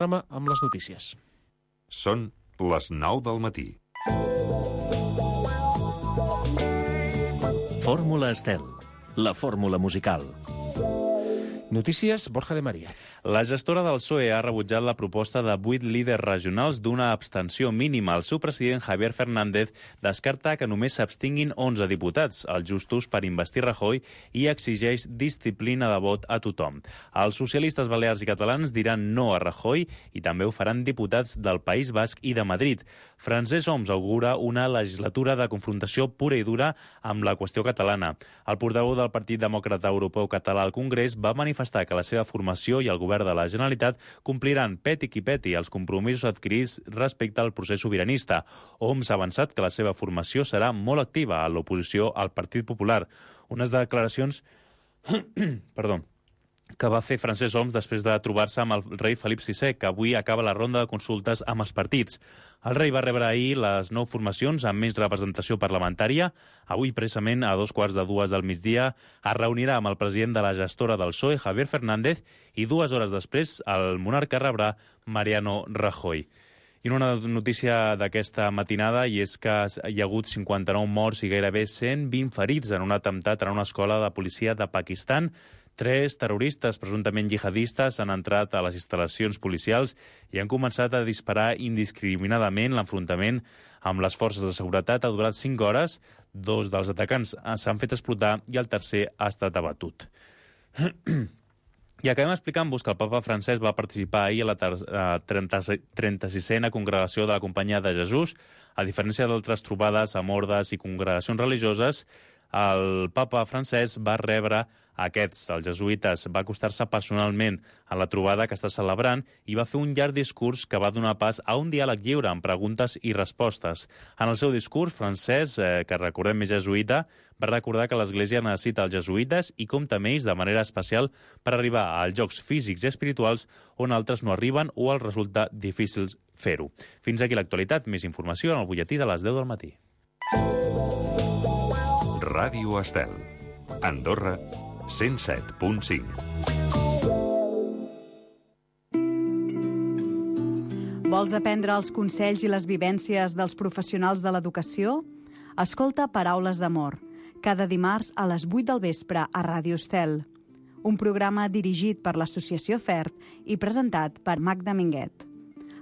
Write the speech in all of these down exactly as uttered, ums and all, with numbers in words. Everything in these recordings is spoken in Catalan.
amb les notícies. Són les nou del matí. Fórmula Estel, la fórmula musical. Notícies, Borja de María. La gestora del P S O E ha rebutjat la proposta de vuit líders regionals d'una abstenció mínima. El seu president, Javier Fernández, descarta que només s'abstinguin onze diputats, els justos per investir Rajoy, i exigeix disciplina de vot a tothom. Els socialistes balears i catalans diran no a Rajoy i també ho faran diputats del País Basc i de Madrid. Francesc Homs augura una legislatura de confrontació pura i dura amb la qüestió catalana. El portaveu del Partit Demòcrata Europeu Català al Congrés va manifestar que la seva formació i el govern de la Generalitat compliran peti qui peti els compromisos adquirits respecte al procés sobiranista. Homs ha avançat que la seva formació serà molt activa a l'oposició al Partit Popular. Unes declaracions perdó, que va fer Francesc Homs després de trobar-se amb el rei Felip sisè, que avui acaba la ronda de consultes amb els partits. El rei va rebre ahir les nou formacions amb més representació parlamentària. Avui, precisament, a dos quarts de dues del migdia, es reunirà amb el president de la gestora del P S O E, Javier Fernández, i dues hores després el monarca rebrà Mariano Rajoy. I una notícia d'aquesta matinada, i és que hi ha hagut cinquanta-nou morts i gairebé cent vint ferits en un atemptat en una escola de policia de Pakistan. Tres terroristes presumptament jihadistes han entrat a les instal·lacions policials i han començat a disparar indiscriminadament. L'enfrontament amb les forces de seguretat ha durat cinc hores. Dos dels atacants s'han fet explotar i el tercer ha estat abatut. I acabem explicant-vos que el papa Francesc va participar ahir a la trenta-sisena congregació de la Companyia de Jesús. A diferència d'altres trobades amb ordes i congregacions religioses, el papa Francesc va rebre aquests, els jesuïtes, va acostar-se personalment a la trobada que està celebrant i va fer un llarg discurs que va donar pas a un diàleg lliure amb preguntes i respostes. En el seu discurs, Francesc, eh, que recordem és jesuïta, va recordar que l'Església necessita els jesuïtes i compta amb ells de manera especial per arribar als jocs físics i espirituals on altres no arriben o els resulta difícil fer-ho. Fins aquí l'actualitat. Més informació en el butlletí de les deu del matí. Ràdio Estel. Andorra, cent set punt cinc. Vols aprendre els consells i les vivències dels professionals de l'educació? Escolta Paraules d'Amor, cada dimarts a les vuit del vespre a Ràdio Estel. Un programa dirigit per l'Associació FERT i presentat per Magda Minguet.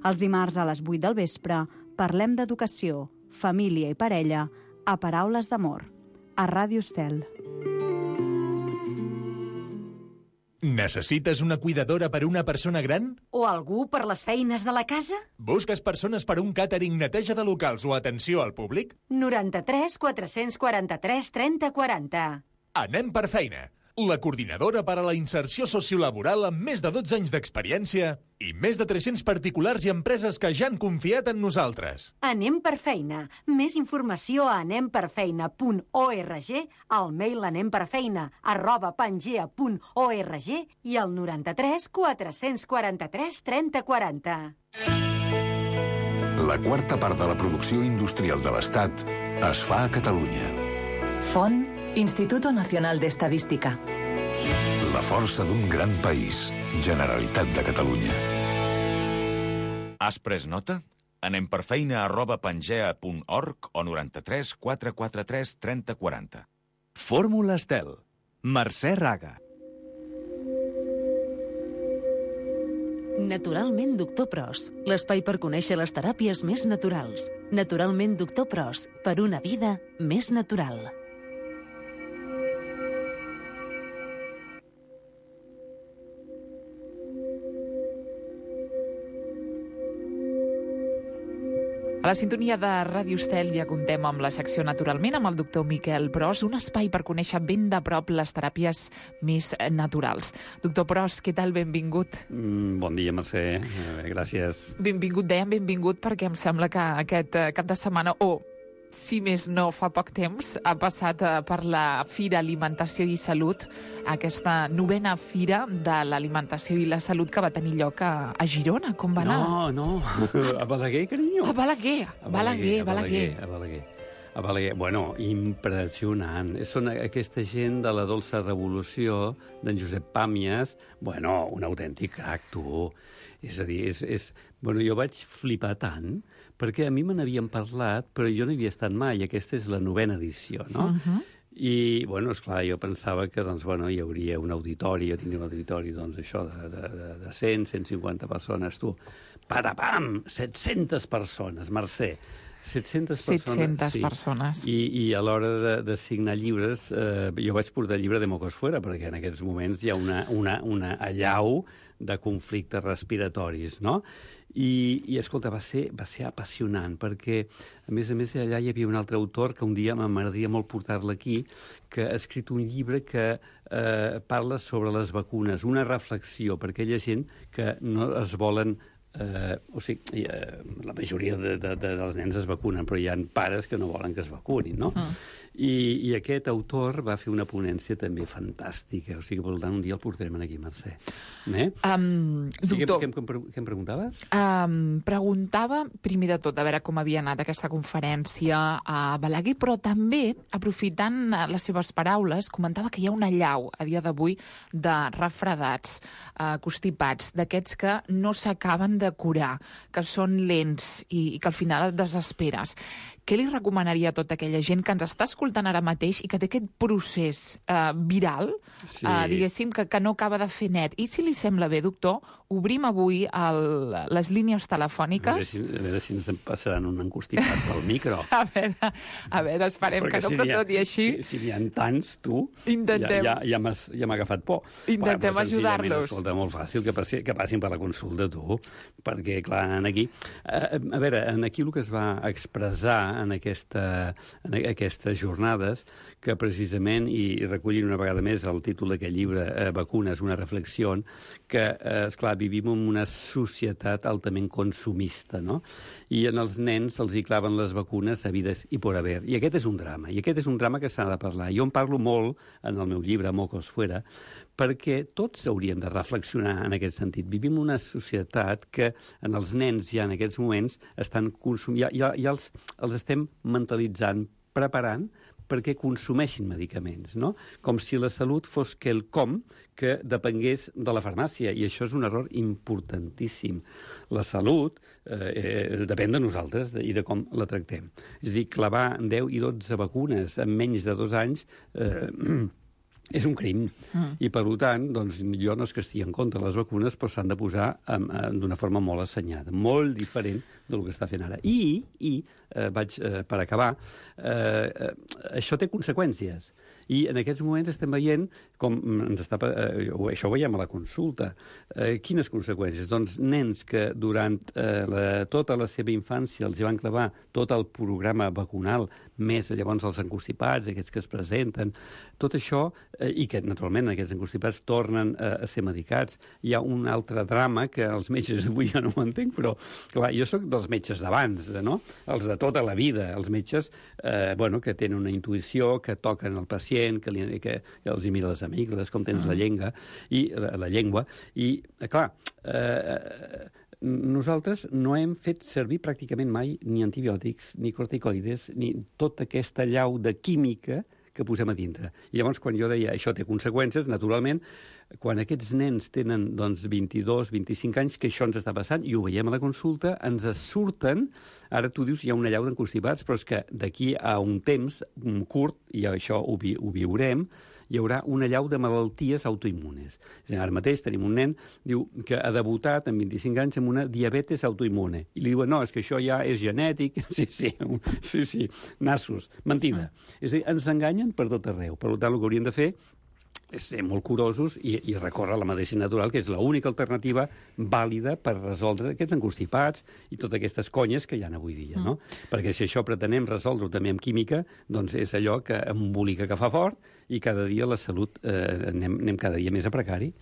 Els dimarts a les vuit del vespre parlem d'educació, família i parella a Paraules d'Amor, a Ràdio Estel. Necessites una cuidadora per una persona gran? O algú per les feines de la casa? Busques persones per un càtering, neteja de locals o atenció al públic? noranta-tres quatre-cents quaranta-tres trenta quaranta. Anem per feina. La coordinadora per a la inserció sociolaboral amb més de dotze anys d'experiència i més de tres-cents particulars i empreses que ja han confiat en nosaltres. Anem per feina. Més informació a anemperfeina punt org, al mail anemperfeina arroba pangea punt org i al noranta-tres quatre-cents quaranta-tres trenta quaranta. La quarta part de la producció industrial de l'Estat es fa a Catalunya. Font Instituto Nacional de Estadística. La força d'un gran país. Generalitat de Catalunya. Has pres nota? Anem per feina arroba pangea punt org o noranta-tres quatre quatre tres trenta quaranta. Fórmula Estel. Mercè Raga. Naturalment Doctor Pros, l'espai per conèixer les teràpies més naturals. Naturalment Doctor Pros, per una vida més natural. A la sintonia de Ràdio Estel ja contem amb la secció Naturalment amb el doctor Miquel Pros, un espai per conèixer ben de prop les teràpies més naturals. Doctor Pros, què tal? Benvingut. Mm, bon dia, Mercè. Eh, gràcies. Benvingut, dèiem benvingut perquè em sembla que aquest cap de setmana, o oh, si més no fa poc temps, ha passat per la Fira Alimentació i Salut, aquesta novena Fira de l'Alimentació i la Salut que va tenir lloc a, a Girona. Com va anar? No, no, a Balaguer, carinyo. A Balaguer, a Balaguer, a Balaguer. A Balaguer. A Balaguer. Bueno, impressionant. Són aquesta gent de la dolça revolució d'en Josep Pàmies. Bueno, un autèntic crac, tu. És a dir, és, és... Bueno, jo vaig flipar tant, perquè a mi me n'havien parlat, però jo no hi havia estat mai. Aquesta és la novena edició, no? Uh-huh. I, bueno, esclar, jo pensava que, doncs, bueno, hi hauria un auditori, jo tindria un auditori, doncs, això, de, de, de cent, cent cinquanta persones, tu. Patapam! set-centes persones, Mercè. set-centes persones. set-centes sí. persones. I, I a l'hora de, de signar llibres, eh, jo vaig portar el llibre de Mocosfuera, perquè en aquests moments hi ha una, una, una allau de conflictes respiratoris, no? I, i escolta, va ser, va ser apassionant, perquè, a més a més, allà hi havia un altre autor que un dia m'agradaria molt portar-la aquí, que ha escrit un llibre que eh, parla sobre les vacunes, una reflexió per aquella gent que no es volen... Eh, o sigui, eh, la majoria de, de, de, dels nens es vacunen, però hi ha pares que no volen que es vacunin, no? Mm. I, I aquest autor va fer una ponència també fantàstica, o sigui, per tant, un dia el portarem aquí, Mercè. Eh? Um, sí, doctor... Què, què, què, què em preguntaves? Um, preguntava, primer de tot, a veure com havia anat aquesta conferència a Balaguer, però també, aprofitant les seves paraules, comentava que hi ha una allau, a dia d'avui, de refredats, uh, constipats, d'aquests que no s'acaben de curar, que són lents i, i que al final et desesperes. Què li recomanaria a tota aquella gent que ens està escoltant ara mateix i que té aquest procés eh, viral, sí. eh, diguéssim, que, que no acaba de fer net? I si li sembla bé, doctor, obrim avui el, les línies telefòniques. A veure si, a veure si ens en passaran un encostipat pel micro. a veure, a veure, esperem Perquè que no, si però tot i així... Si, si n'hi ha tants, tu, Intentem... ja, ja, ja m'ha ja agafat por. Intentem bueno, ajudar-los. Escolta, molt fàcil que, passi, que passin per la consulta, tu, perquè, clar, aquí... A, a veure, aquí el que es va expressar en, aquesta, en aquestes jornades, que precisament, i recollint una vegada més el títol d'aquest llibre, eh, Vacunes, una reflexió, que, eh, esclar, vivim en una societat altament consumista, no? I en els nens els hi claven les vacunes a vides i por haver. I aquest és un drama, i aquest és un drama que s'ha de parlar. Jo en parlo molt en el meu llibre, Mocos Fuera, perquè tots hauríem de reflexionar en aquest sentit. Vivim una societat que en els nens ja en aquests moments estan consumint, ja, ja, ja els, els estem mentalitzant, preparant perquè consumeixin medicaments, no? Com si la salut fos quelcom que depengués de la farmàcia, i això és un error importantíssim. La salut eh, eh, depèn de nosaltres i de com la tractem. És a dir, clavar deu i dotze vacunes en menys de dos anys... Eh, és un crim, mm. i per tant, doncs, jo no és que estigui en contra de les vacunes, però s'han de posar d'una forma molt assenyada, molt diferent del que està fent ara. I, i eh, vaig eh, per acabar, eh, eh, això té conseqüències. I en aquests moments estem veient com ens està... Eh, això ho veiem a la consulta. Eh, quines conseqüències? Doncs nens que durant eh, la, tota la seva infància els van clavar tot el programa vacunal, més llavors els encostipats, aquests que es presenten, tot això, eh, i que naturalment aquests encostipats tornen eh, a ser medicats. Hi ha un altre drama que els metges avui ja no ho entenc, però clar, jo sóc dels metges d'abans, no? Els de tota la vida, els metges eh, bueno, que tenen una intuïció, que toquen el pacient, que, li, que, que els hi mira les amígdales, com tens uh-huh. la llengua, i la, la llengua, i clar, eh, nosaltres no hem fet servir pràcticament mai ni antibiòtics, ni corticoides, ni tota aquesta allau de química que posem a dintre. I llavors, quan jo deia això té conseqüències, naturalment, quan aquests nens tenen doncs, vint-i-dos, vint-i-cinc anys, que això ens està passant, i ho veiem a la consulta, ens surten, ara tu dius hi ha una allau d'encostipats, però és que d'aquí a un temps un curt, i això ho, vi ho viurem, hi haurà una allau de malalties autoimmunes. Ara mateix tenim un nen diu que ha debutat amb vint-i-cinc anys amb una diabetes autoimmune. I li diuen, no, és que això ja és genètic. Sí, sí, sí, sí, nassos. Mentida. És a dir, ens enganyen per tot arreu. Per tant, el que hauríem de fer és ser molt curosos i, i recórrer a la medicina natural, que és l'única alternativa vàlida per resoldre aquests encostipats i totes aquestes conyes que hi ha avui dia, no? Mm. Perquè si això pretenem resoldre-ho també amb química, doncs és allò que embolica que fa fort i cada dia la salut eh, anem, anem cada dia més a precari.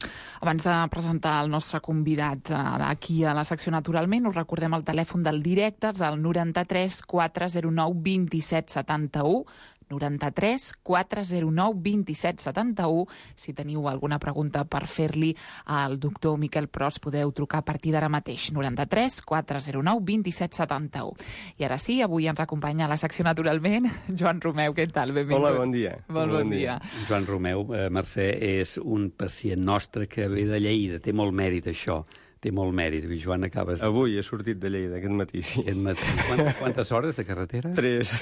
Abans de presentar el nostre convidat eh, aquí a la secció Naturalment, us recordem el telèfon del directe, és el noranta-tres quatre zero nou vint-i-set setanta-u, noranta-tres quatre zero nou vint-i-set setanta-u. Si teniu alguna pregunta per fer-li al doctor Miquel Pros, podeu trucar a partir d'ara mateix. noranta-tres quatre zero nou vint-i-set setanta-u. I ara sí, avui ens acompanya a la secció Naturalment Joan Romeu. Què tal? Benvingut. Hola, bon dia. Molt bon, bon dia. dia. Joan Romeu, eh, Mercè, és un pacient nostre que ve de Lleida. Té molt mèrit, això. té molt mèrit. Joan, acabes... Avui he sortit de Lleida, aquest matí, sí. Aquest matí. Quantes, quantes hores de carretera? Tres.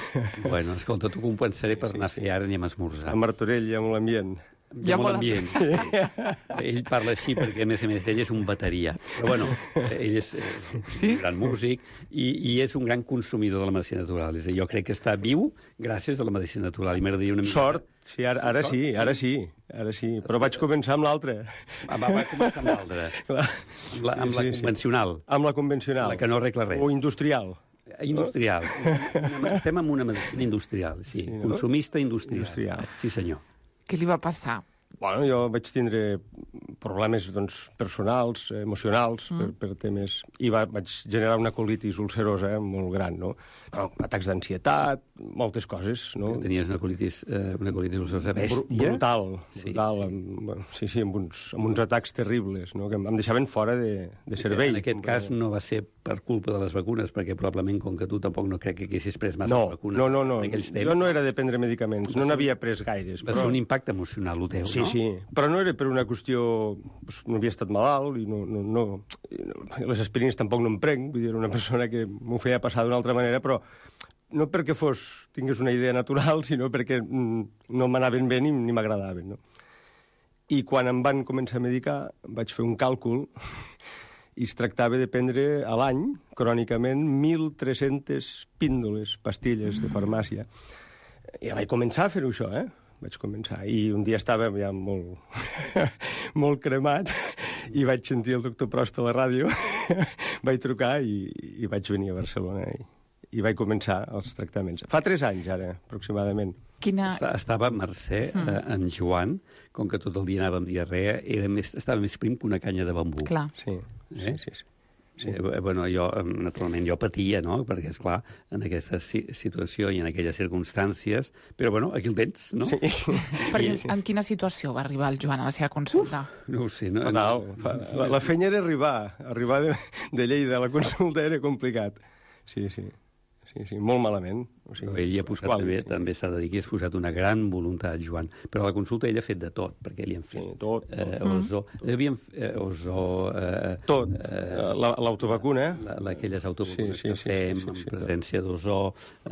Bueno, escolta, t'ho compensaré per anar a fer ara, anem a esmorzar. A Martorell, amb l'ambient. Ja molt ambient. Ell parla així perquè, a més a més, ell és un bateria. Però, bueno, ell és sí? un gran músic i, i és un gran consumidor de la medicina natural. És a dir, jo crec que està viu gràcies a la medicina natural. I m'agradaria una mica... Sort, sí, ara, ara sí, ara sí, ara sí. Però vaig començar amb l'altra. Va, va començar amb l'altra. Amb la, amb la sí, convencional. Sí. Amb la convencional. La que no arregla res. O industrial. Industrial. Estem en una medicina industrial, sí. sí no? Consumista industrial. industrial. Sí, senyor. Què li va passar? Bueno, jo vaig tindre problemes doncs, personals, emocionals, mm. per, per temes... I va, vaig generar una colitis ulcerosa molt gran, no? Però atacs d'ansietat, moltes coses, no? Tenies una colitis, eh, una colitis ulcerosa bèstia? Brutal, sí, brutal. Sí, amb, sí, sí amb, uns, amb uns atacs terribles, no? Que em deixaven fora de, de servei. En aquest cas no va ser per culpa de les vacunes, perquè probablement, com que tu tampoc no crec que haguessis pres massa no, vacunes... No, no, no. Temps, jo no era de prendre medicaments, no n'havia pres gaires. Va però... ser un impacte emocional, el teu, sí, no? Sí, sí. Però no era per una qüestió... Pues, no havia estat malalt i no, no, no, les aspirines tampoc no em prenc, vull dir, era una persona que m'ho feia passar d'una altra manera, però no perquè fos, tingués una idea natural, sinó perquè mm, no m'anaven bé ni, ni m'agradaven, no? I quan em van començar a medicar, vaig fer un càlcul i es tractava de prendre a l'any, crònicament, mil tres-centes píndoles, pastilles de farmàcia. I vaig començar a fer-ho això, eh? Vaig començar. I un dia estava ja molt, molt cremat i vaig sentir el doctor Pros per la ràdio, vaig trucar i, i vaig venir a Barcelona i, i vaig començar els tractaments. Fa tres anys, ara, aproximadament. Quina... Estava Mercè, mm. eh, en Joan, com que tot el dia anava amb diarrea, era més, estava més prim que una canya de bambú. Clar. Sí, eh? sí, sí. sí. Sí. Eh, bueno, jo, naturalment, jo patia, no?, perquè, esclar, en aquesta si situació i en aquelles circumstàncies, però, bueno, aquí el tens, no? Sí. Perquè en quina situació va arribar el Joan a la seva consulta? Uf, no ho sé. No, Fatal. La, la feina era arribar. Arribar de, de Lleida a la consulta era complicat. Sí, sí. Sí, sí, molt malament. O sigui, ell ha posat, qual, també, sí. també s'ha de dir que has posat una gran voluntat, Joan. Però a la consulta ell ha fet de tot, perquè li han fet... Sí, tot. tot. Eh, ozó, mm. havien, eh, ozó... Eh, tot. Eh, L'autovacuna. La, la, aquelles autovacunes sí, sí, que sí, fem, sí, sí, sí, en presència d'ozó,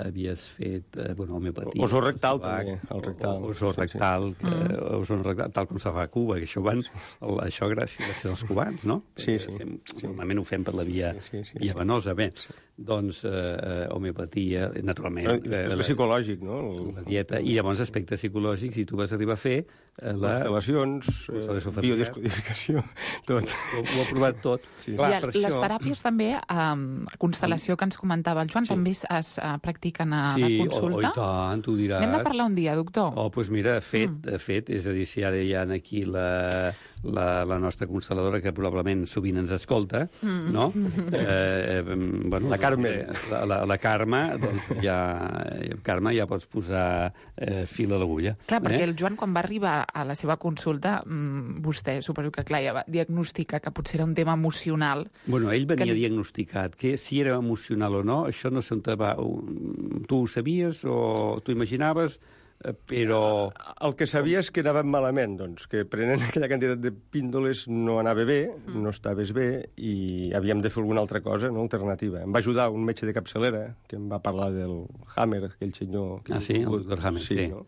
havies fet, eh, bueno, homeopatia... Ozó rectal, també, el rectal. Ozó rectal, sí, sí. Eh, ozó rectal, tal com se fa a Cuba, que això van... El, això gràcies, gràcies als cubans, no? Sí, sí. Fem, sí. Normalment ho fem per la via, sí, sí, sí, via venosa. Bé, sí. doncs, eh, homeopatia, naturalment... Eh, la, psicològic, no? La dieta, i llavors aspectes psicològics, i tu vas arribar a fer... Eh, la... Constel·lacions, eh, biodescodificació, tot. Ho, ho ha provat tot. Sí. Clar, I les això... teràpies també, eh, constel·lació que ens comentava el Joan, sí. també es, es uh, practiquen a sí, la consulta? Sí, oh, i tant, tu diràs. Anem de parlar un dia, doctor. Oh, doncs pues mira, fet, mm. fet, és a dir, si ara hi ha aquí la, la, la nostra constel·ladora, que probablement sovint ens escolta, mm. no? Eh, eh, bueno, la Carme. La, la, la Carme, doncs ja... Carme, ja pots posar eh, fil a l'agulla. Clar, perquè eh? el Joan, quan va arribar a la seva consulta, mmm, vostè, suposo que clar, ja va diagnosticar que potser era un tema emocional. Bueno, ell venia que... diagnosticat, que si era emocional o no, això no sé on te va... Tu ho sabies o tu imaginaves... però... El que sabia és que anàvem malament, doncs, que prenent aquella quantitat de píndoles no anava bé, mm. no estaves bé, i havíem de fer alguna altra cosa, no?, alternativa. Em va ajudar un metge de capçalera, que em va parlar del Hammer, aquell senyor... Ah, sí? El doctor Hammer, sí. sí. No?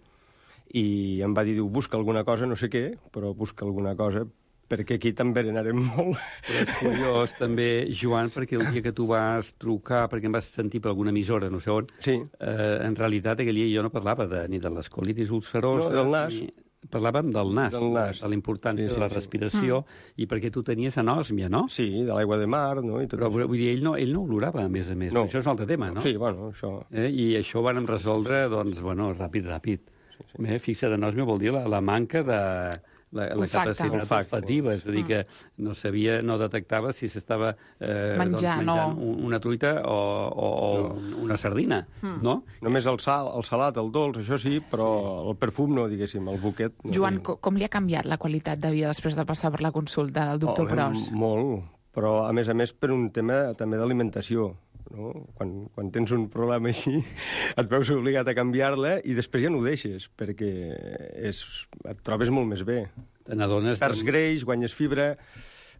I em va dir, diu, busca alguna cosa, no sé què, però busca alguna cosa, perquè aquí també anarem molt. Però és curiós, també, Joan, perquè el dia que tu vas trucar, perquè em vas sentir per alguna emissora, no sé on, sí. eh, en realitat aquell dia jo no parlava de, ni de l'escolitis ulcerosa... No, del nas. Ni... Parlàvem del nas, del nas. de la importància sí, sí, de la respiració, sí. i perquè tu tenies anòsmia, no? Sí, de l'aigua de mar, no? I tot Però això. vull dir, ell no, ell no olorava, a més a més. No. Això és un altre tema, no? Sí, bueno, això... Eh? I això ho vàrem resoldre, doncs, bueno, ràpid, ràpid. Sí, sí. Eh? Fixa't, anòsmia vol dir la, la manca de... La, la capacitat olfactiva, és a dir, que no sabia, no detectava si s'estava eh, menjar, doncs, menjant no. una truita o, o, o no. una sardina, mm. no? Només el sal, el salat, el dolç, això sí, però sí. el perfum no, diguéssim, el buquet... No. Joan, com, com li ha canviat la qualitat de vida després de passar per la consulta del doctor oh, Pros? Molt, però a més a més per un tema també d'alimentació. No? Quan, quan tens un problema així, et veus obligat a canviar-la i després ja no ho deixes, perquè és, et trobes molt més bé. Te n'adones... Perds greix, guanyes fibra...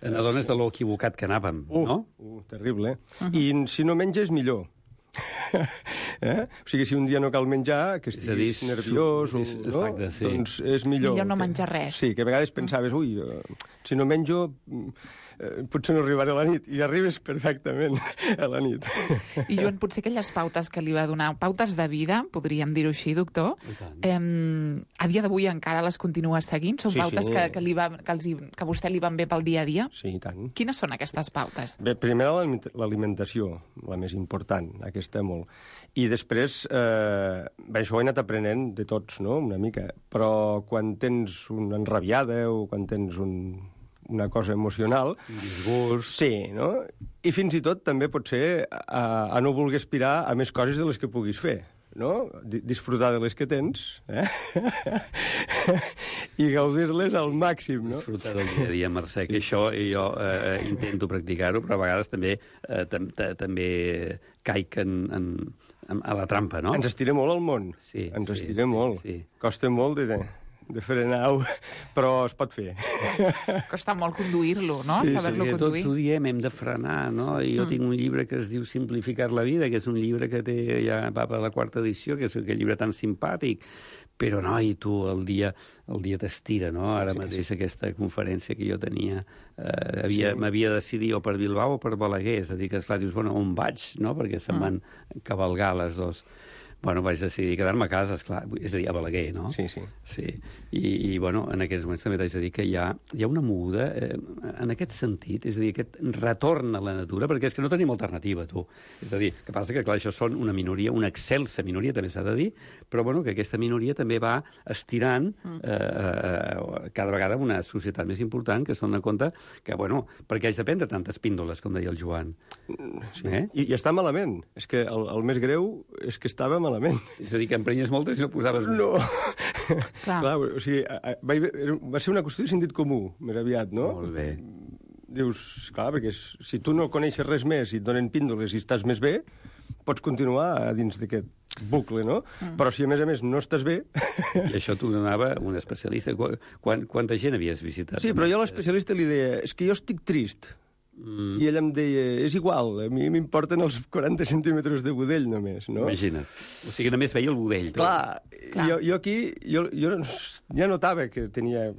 T'adones de lo equivocat que anàvem, uh, no? Uh, terrible, eh? Uh -huh. I si no menges, millor. eh? O sigui, si un dia no cal menjar, que estiguis dir, nerviós, o, no? Exacte, sí. Doncs és millor. Millor no que... menjar res. Sí, que a vegades pensaves, ui, uh, si no menjo, eh, potser no arribaré a la nit. I arribes perfectament a la nit. I Joan, potser aquelles pautes que li va donar, pautes de vida, podríem dir-ho així, doctor, eh, a dia d'avui encara les continues seguint? Són sí, pautes sí. que, que, li va, que, els, que a vostè li van bé pel dia a dia? Sí, i tant. Quines són aquestes pautes? Bé, primer l'alimentació, la més important, aquesta molt. I després, eh, bé, això ho he anat aprenent de tots, no?, una mica. Però quan tens una enrabiada o quan tens un, una cosa emocional... Un disgust... Sí, no? I fins i tot també pot ser a, a no voler aspirar a més coses de les que puguis fer, no? Disfrutar de les que tens, eh? I gaudir-les al màxim, no? Disfrutar del dia a dia, Mercè, que això jo eh, intento practicar-ho, però a vegades també eh, tam també caic en, en, en, a la trampa, no? Ens estira molt el món. Sí, Ens sí, estira sí, molt. Sí. Costa molt de, de frenar-ho, però es pot fer. Costa molt conduir-lo, no? Sí, Saber-lo sí, conduir. tots ho diem, hem de frenar, no? I jo mm. tinc un llibre que es diu Simplificar la vida, que és un llibre que té ja va per la quarta edició, que és aquell llibre tan simpàtic, però, noi, tu, el dia el dia t'estira, no? Sí, Ara sí, mateix sí. Aquesta conferència que jo tenia eh, havia, sí. m'havia de decidir o per Bilbao o per Balaguer, és a dir, que esclar, dius, bueno, on vaig, no? Perquè se'n van mm. cavalgar les dos. Bueno, vaig decidir quedar-me a casa, esclar, és a dir, a Balaguer, no? Sí, sí. Sí. I, i bueno, en aquests moments també t'haig de dir que hi ha, hi ha una moguda eh, en aquest sentit, és a dir, aquest retorn a la natura, perquè és que no tenim alternativa, tu. És a dir, que passa que, clar, això són una minoria, una excelsa minoria, també s'ha de dir, però, bueno, que aquesta minoria també va estirant mm. eh, eh, cada vegada una societat més important que es dona compte que, bueno, perquè haig de prendre tantes píndoles, com deia el Joan. Sí. Eh? I, I està malament. És que el, el més greu és que estava malament. És a dir, que emprenyes moltes i no posaves... No. Clar. Clar, o sigui, va, va ser una qüestió de sentit comú, més aviat, no? Molt bé. Dius, clar, perquè si tu no coneixes res més i et donen píndoles i estàs més bé, pots continuar a dins d'aquest bucle, no? Mm. Però si a més a més no estàs bé... I això t'ho donava un especialista. Quan, quanta gent havies visitat? Sí, però jo a l'especialista li deia, és que jo estic trist. Mm. I ella em deia, és igual, a mi m'importen els quaranta centímetres de budell només, no? Imagina't. O sigui, només veia el budell. Clar, Clar. Jo, jo aquí jo, jo ja notava que tenia...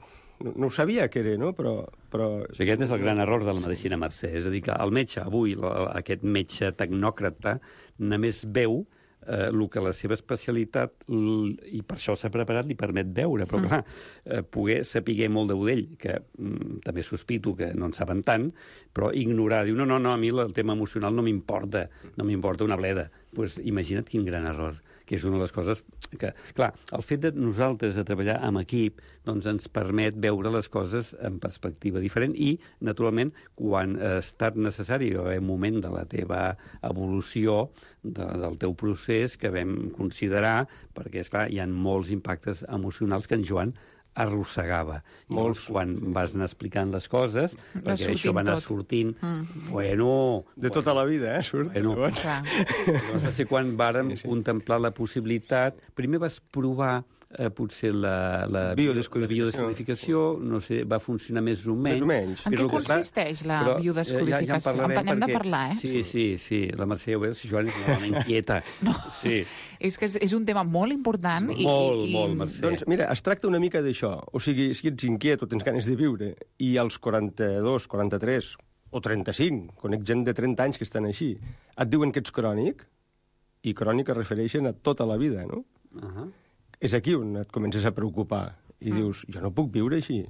No, no ho sabia que era, no? Però, però... O sigui, aquest és el gran error de la medicina, Mercè. És a dir, que el metge, avui, aquest metge tecnòcrata, només veu eh, el que la seva especialitat, i per això s'ha preparat, li permet veure. Però, clar, eh, poder saber molt de budell, que mm, també sospito que no en saben tant, però ignorar, diu, no, no, no, a mi el tema emocional no m'importa, no m'importa una bleda. Doncs pues, imagina't quin gran error, que és una de les coses que... Clar, el fet de nosaltres de treballar amb equip doncs ens permet veure les coses en perspectiva diferent i, naturalment, quan ha estat necessari o en moment de la teva evolució, de, del teu procés, que vam considerar, perquè, esclar, hi ha molts impactes emocionals que en Joan arrossegava. Molts, quan vas anar explicant les coses, va perquè això va anar tot. sortint... Mm. Bueno... De bueno, tota la vida, eh? Surt. Bueno, llavors va ser quan vàrem sí, sí. contemplar la possibilitat... Primer vas provar eh, potser la, la, biodescodificació. la biodescodificació, no sé, va funcionar més o menys. Més o menys. En què consisteix la però, biodescodificació? Ja, ja en, en n'hem de parlar, eh? Sí, sí, sí. La Mercè, ho veus, si Joan és una dona inquieta. No, sí. és que és, és un tema molt important. Molt, i, molt, i... molt, Mercè. Doncs mira, es tracta una mica d'això. O sigui, si ets inquiet o tens ganes de viure, i als quaranta-dos, quaranta-tres o trenta-cinc, conec gent de trenta anys que estan així, et diuen que ets crònic, i crònic es refereixen a tota la vida, no? Uh -huh. És aquí on et comences a preocupar i mm. dius, jo no puc viure així.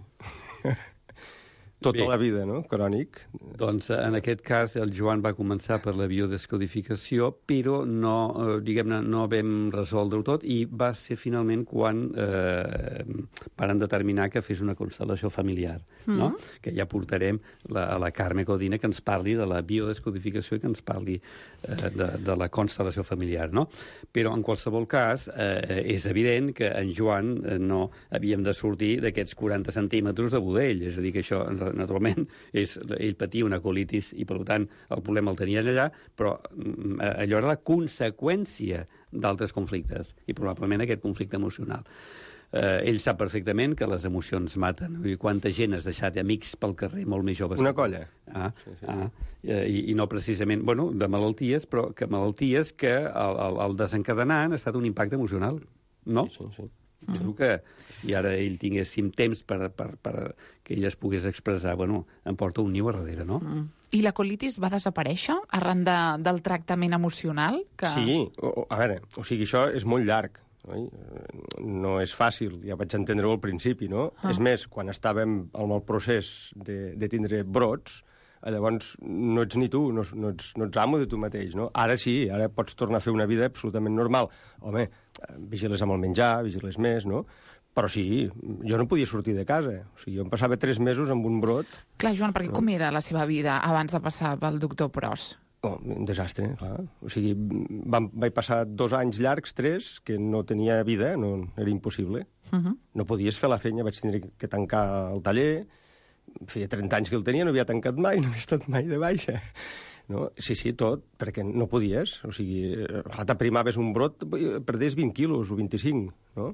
Tota Bé. la vida, no? Crònic. Doncs en aquest cas el Joan va començar per la biodescodificació, però no, eh, diguem-ne, no vam resoldre-ho tot i va ser finalment quan eh, varen determinar que fes una constel·lació familiar, mm. no? Que ja portarem la, a la Carme Codina que ens parli de la biodescodificació i que ens parli eh, de, de la constel·lació familiar, no? Però en qualsevol cas eh, és evident que en Joan eh, no havíem de sortir d'aquests quaranta centímetres de budell, és a dir, que això naturalment, és, ell patia una colitis i, per tant, el problema el tenien allà, però allò era la conseqüència d'altres conflictes, i probablement aquest conflicte emocional. eh, ell sap perfectament que les emocions maten. I quanta gent has deixat amics pel carrer molt més joves. Una colla. Ah, sí, sí. ah i, i no precisament, bueno, de malalties, però que malalties que el, el, el desencadenant ha estat un impacte emocional, no? Sí, sí, sí. Jo crec que si ara ell tinguéssim temps per, per, per que ell es pogués expressar, bueno, em porta un niu a darrere, no? Mm. I la colitis va desaparèixer arran de, del tractament emocional? Que... Sí, o, a veure, o sigui, això és molt llarg, oi? No és fàcil, ja vaig entendre-ho al principi, no? Ah. És més, quan estàvem en el procés de, de tindre brots, llavors no ets ni tu, no, no, ets, no ets amo de tu mateix, no? Ara sí, ara pots tornar a fer una vida absolutament normal. Home, vigiles amb el menjar, vigiles més, no? Però sí, jo no podia sortir de casa. O sigui, jo em passava tres mesos amb un brot. Clar, Joan, perquè no? Com era la seva vida abans de passar pel doctor Pros? Oh, un desastre, clar. O sigui, vam, vaig passar dos anys llargs, tres, que no tenia vida, no, era impossible. Uh -huh. No podies fer la feina, vaig tenir que tancar el taller. Feia trenta anys que el tenia, no havia tancat mai, no havia estat mai de baixa. No? Sí, sí, tot, perquè no podies. O sigui, t'aprimaves un brot, perdies vint quilos o vint-i-cinc, no?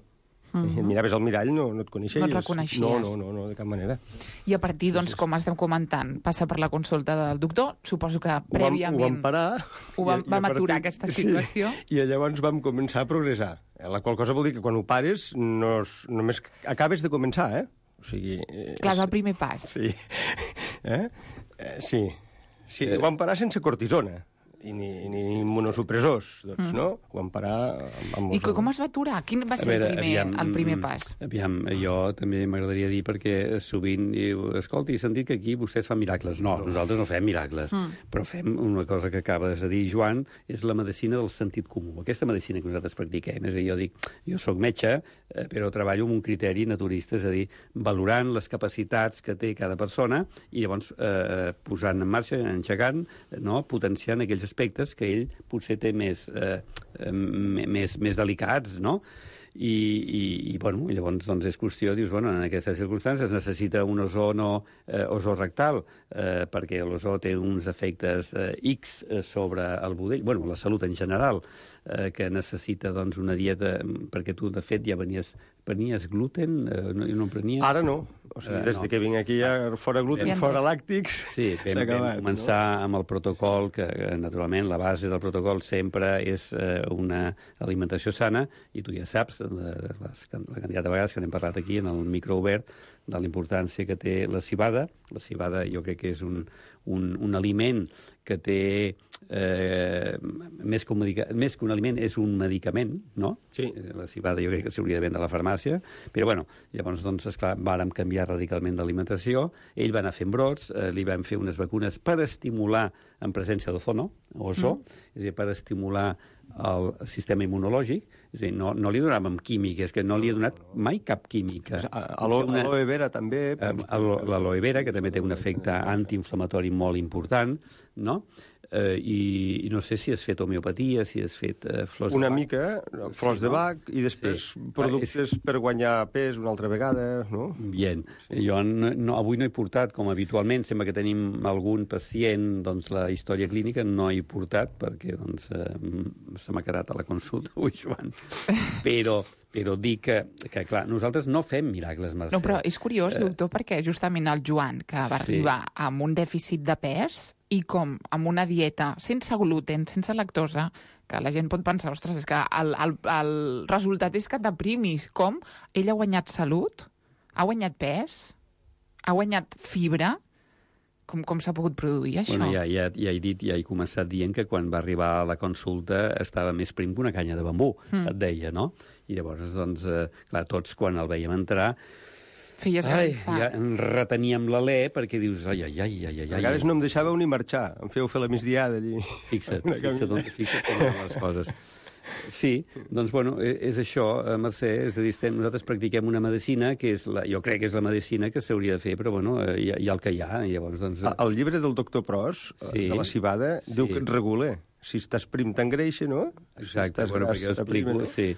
Uh -huh. I et miraves al mirall, no, no et coneixies. No et reconeixies. No, no, no, no, de cap manera. I a partir, doncs, com estem comentant, passa per la consulta del doctor, suposo que prèviament... Ho vam, ho vam parar. Ho vam, i, vam i aturar, partir, aquesta situació. Sí, i llavors vam començar a progressar. La qual cosa vol dir que quan ho pares, no, només acabes de començar, eh? O sigui... Clar, és el primer pas. Sí. Eh? Eh, sí. Sí, ho vam parar sense cortisona i ni, ni immunosupressors, doncs, mm. no? Ho vam parar amb... amb I com es va aturar? Quin va ser veure, el, primer, aviam, el primer pas? Aviam, jo també m'agradaria dir, perquè sovint diu, escolta, he sentit que aquí vostès fan miracles. No, no. Nosaltres no fem miracles, mm. però fem una cosa que acabes de dir, Joan, és la medicina del sentit comú. Aquesta medicina que nosaltres practiquem. És a dir, jo dic, jo sóc metge, eh, però treballo amb un criteri naturista, és a dir, valorant les capacitats que té cada persona i llavors eh, posant en marxa, engegant, no? Potenciant aquells aspectes que ell potser té més, eh, més, més delicats, no? I, i, i bueno, llavors doncs és qüestió, dius, bueno, en aquestes circumstàncies necessita un ozono eh, ozorectal, eh, perquè l'ozó té uns efectes eh, X sobre el budell, bueno, la salut en general, eh, que necessita doncs una dieta, perquè tu de fet ja venies, prenies gluten, eh, no, no prenies... Ara no, o sigui, des uh, no. de que vinc aquí ja fora gluten, ja fora làctics, sí, vam, acabat, vam començar no? amb el protocol, que naturalment la base del protocol sempre és eh, una alimentació sana, i tu ja saps, la, les, la quantitat de vegades que n'hem parlat aquí en el micro obert, de la importància que té la civada. La civada jo crec que és un, un, un aliment que té, eh, més, que un medica, més que un aliment, és un medicament, no? Sí. La civada jo crec que s'hauria de vendre a la farmàcia, però bueno, llavors, doncs, esclar, vàrem canviar radicalment d'alimentació, ell va anar fent brots, eh, li vam fer unes vacunes per estimular en presència d'ozono, ozó, mm. és a dir, per estimular el sistema immunològic, és a dir, no, no li donàvem química, és que no li he donat mai cap química. Aloe vera també. L'aloe vera, que també té un efecte antiinflamatori molt important, no? Eh, i, i no sé si has fet homeopatia, si has fet eh, flors una de bac. Una mica, flors sí, de bac, no? I després sí. productes per guanyar pes una altra vegada, no? Bien. Sí. Jo no, no, avui no he portat, com habitualment, sembla que tenim algun pacient, doncs la història clínica no he portat, perquè doncs, eh, se m'ha quedat a la consulta avui, Joan. Però... però dir que, que, clar, nosaltres no fem miracles, Mercè. No, però és curiós, doctor, perquè justament el Joan, que va sí. arribar amb un dèficit de pes i com amb una dieta sense gluten, sense lactosa, que la gent pot pensar, ostres, és que el, el, el resultat és que et deprimis. Com? Ell ha guanyat salut, ha guanyat pes, ha guanyat fibra. Com, com s'ha pogut produir això? Bueno, ja, ja, ja he dit, ja he començat dient que quan va arribar a la consulta estava més prim que una canya de bambú, mm. et deia, no? I llavors, doncs, eh, clar, tots quan el veiem entrar... Feies ai, ja en reteníem l'alè perquè dius, ai, ai, ai, ai, ai... A vegades no em deixàveu ni marxar, em fèieu fer la migdiada allí. Fixa't, fixa't, on, fixa't com eren les coses. Sí, doncs, bueno, és això, Mercè, és a dir, estem, nosaltres practiquem una medicina que és la, jo crec que és la medicina que s'hauria de fer, però, bueno, hi ha, hi ha el que hi ha, i llavors, doncs... El llibre del doctor Pros, sí, de la civada, diu sí. que et regula. Si estàs prim t'engreixa, no? Exacte, si bueno, perquè ho explico, sí.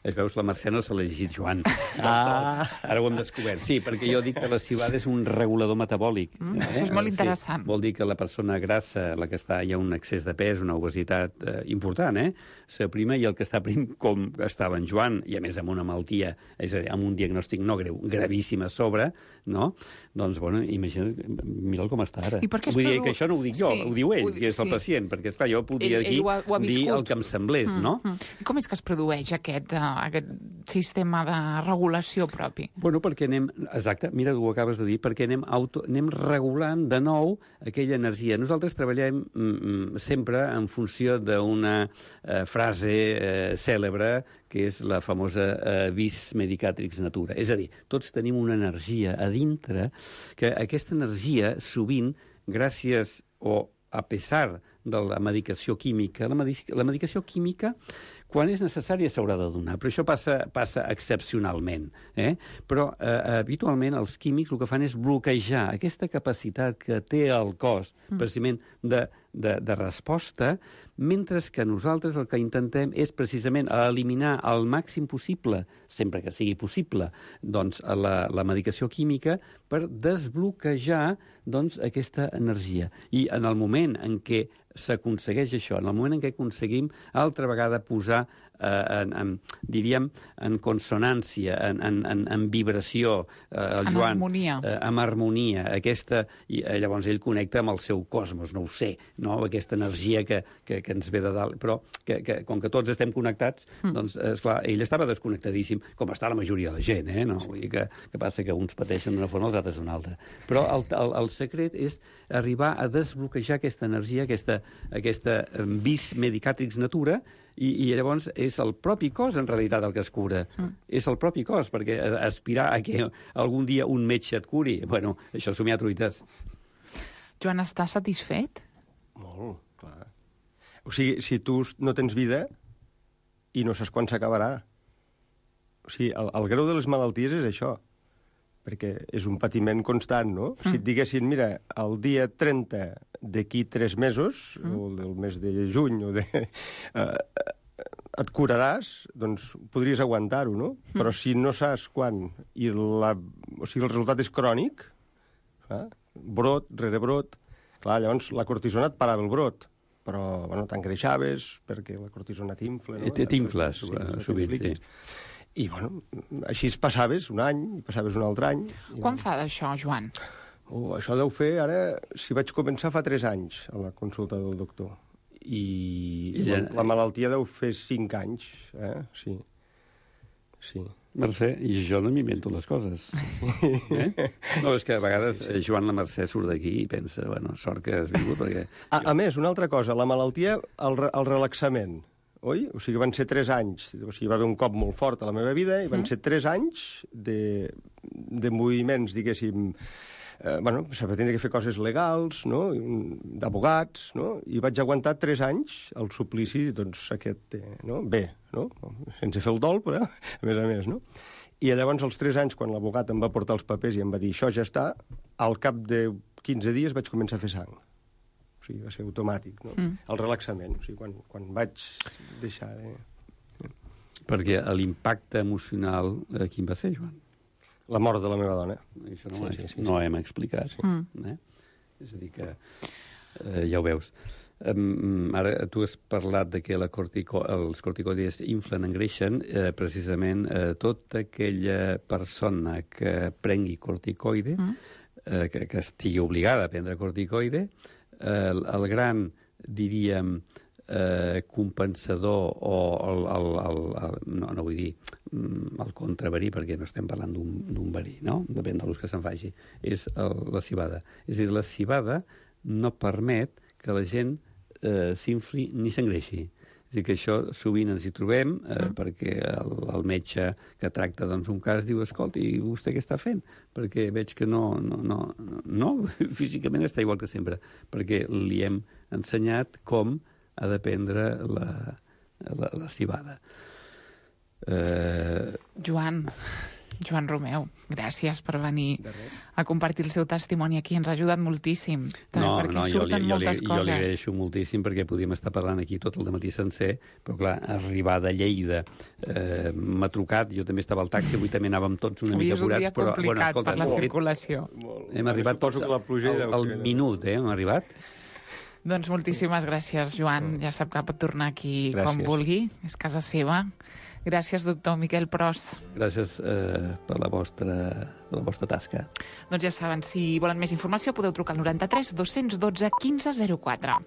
Es veus, la Mercè no se l'ha llegit Joan. Ah. Ara ho hem descobert. Sí, perquè jo dic que la cibada és un regulador metabòlic. Mm, eh? Això és molt interessant. Sí, vol dir que la persona grassa, la que està, hi ha un excés de pes, una obesitat eh, important, eh? S'aprima, i el que està prim, com estava en Joan, i a més amb una malaltia, és a dir, amb un diagnòstic no greu, gravíssim a sobre, no? Doncs, bueno, imagina't, mira'l com està ara. I per què es Vull dir produ... que això no ho dic jo, sí, ho diu ell, ho... que és el sí. pacient, perquè, esclar, jo podria ell, aquí ell ho ha, ho ha dir el que em semblés, mm, no? Mm. I com és que es produeix aquest, uh, aquest sistema de regulació propi? Bueno, perquè anem... Exacte, mira, ho acabes de dir, perquè anem, auto, anem regulant de nou aquella energia. Nosaltres treballem mm, sempre en funció d'una eh, frase eh, cèlebre, que és la famosa eh, vis medicatrix natura. És a dir, tots tenim una energia a dintre, que aquesta energia, sovint, gràcies o a pesar de la medicació química, la, medic la medicació química, quan és necessària s'haurà de donar, però això passa, passa excepcionalment. Eh? Però eh, habitualment els químics el que fan és bloquejar aquesta capacitat que té el cos, mm. precisament de, de, de resposta, mentre que nosaltres el que intentem és precisament eliminar al màxim possible, sempre que sigui possible, doncs, la, la medicació química per desbloquejar doncs, aquesta energia. I en el moment en què s'aconsegueix això, en el moment en què aconseguim altra vegada posar eh, en, en, diríem, en consonància, en, en, en, en vibració, eh, el en Joan, harmonia. Eh, amb harmonia, aquesta, i eh, llavors ell connecta amb el seu cosmos, no ho sé, no? Aquesta energia que, que, que ens ve de dalt, però que, que, com que tots estem connectats, mm. doncs, esclar, ell estava desconnectadíssim, com està la majoria de la gent, eh? No? Vull dir que, que passa que uns pateixen d'una forma, els altres d'una altra. Però el, el, el secret és arribar a desbloquejar aquesta energia, aquesta, aquesta vis medicatrix natura, i, i llavors és el propi cos, en realitat, el que es cura. Mm. És el propi cos, perquè aspirar a que algun dia un metge et curi, bueno, això somiar truites. Joan, estàs satisfet? Molt, clar. O sigui, si tu no tens vida i no saps quan s'acabarà. O sigui, el, el greu de les malalties és això, perquè és un patiment constant, no? Mm. Si et diguessin, mira, el dia trenta d'aquí tres mesos, mm. o del mes de juny, o de... Eh, et curaràs, doncs podries aguantar-ho, no? Mm. Però si no saps quan, i la, o sigui, el resultat és crònic, eh? brot, rere brot, clar, llavors la cortisona et parava el brot, però, bueno, t'engreixaves, perquè la cortisona t'infla, no? T'infles, sovint, sí. I, bueno, així es passaves un any, i passaves un altre any. I, Quan fa d'això, Joan? Oh, això deu fer, ara, si vaig començar fa tres anys a la consulta del doctor. I, I ja... la malaltia deu fer cinc anys, eh? Sí. Sí. Mercè, i jo no m'invento les coses. Eh? No, és que a vegades sí, sí. Joan la Mercè surt d'aquí i pensa, bueno, sort que has vingut, perquè... A, a més, una altra cosa, la malaltia, el, el relaxament, oi? O sigui, van ser tres anys, o sigui, va haver un cop molt fort a la meva vida, i van ser tres anys de, de moviments, diguéssim, eh, bueno, s'ha de tenir que fer coses legals, no? D'abogats, no? I vaig aguantar tres anys el suplici, doncs, aquest, eh, no? Bé, no? Sense fer el dol, però, a més a més, no? I llavors, als tres anys, quan l'abogat em va portar els papers i em va dir, això ja està, al cap de quinze dies vaig començar a fer sang. O sigui, va ser automàtic, no? Mm. El relaxament, o sigui, quan, quan vaig deixar de... Perquè l'impacte emocional, eh, quin va ser, Joan? La mort de la meva dona. Això no, sí, sí, sí, no sí. hem explicat. Sí. Mm. Eh? És a dir que, eh, ja ho veus. Um, ara, tu has parlat de que la cortico, els corticoides inflen, engreixen, eh, precisament eh, tota aquella persona que prengui corticoide, mm. eh, que, que estigui obligada a prendre corticoide, El, el gran, diríem, eh, compensador o el, el, el, el, no, no vull dir el contraverí, perquè no estem parlant d'un verí, no? Depèn de l'ús que se'n faci, és el, la cibada. És a dir, la cibada no permet que la gent eh, s'infli ni s'engreixi. És a dir, que això sovint ens hi trobem, eh, mm. perquè el, el metge que tracta doncs, un cas diu, escolta, i vostè què està fent? Perquè veig que no, no, no, no, físicament està igual que sempre, perquè li hem ensenyat com ha de prendre la, la, la cibada. Eh... Joan, Joan Romeu, gràcies per venir a compartir el seu testimoni aquí. Ens ha ajudat moltíssim. No, perquè no, jo li, surten jo, li, moltes jo li coses. agraeixo moltíssim perquè podíem estar parlant aquí tot el dematí sencer, però clar, arribar de Lleida eh, m'ha trucat, jo també estava al taxi, avui també anàvem tots una mica apurats. Avui és un dia complicat bueno, escolta, per la molt, circulació. Hem arribat tots al, al minut, eh, hem arribat. Doncs moltíssimes gràcies, Joan. Ja sap que pot tornar aquí Gràcies. quan vulgui. És casa seva. Gràcies, doctor Miquel Pros. Gràcies eh, per la vostra, per la vostra tasca. Doncs ja saben, si volen més informació podeu trucar al noranta tres dos dotze quinze zero quatre.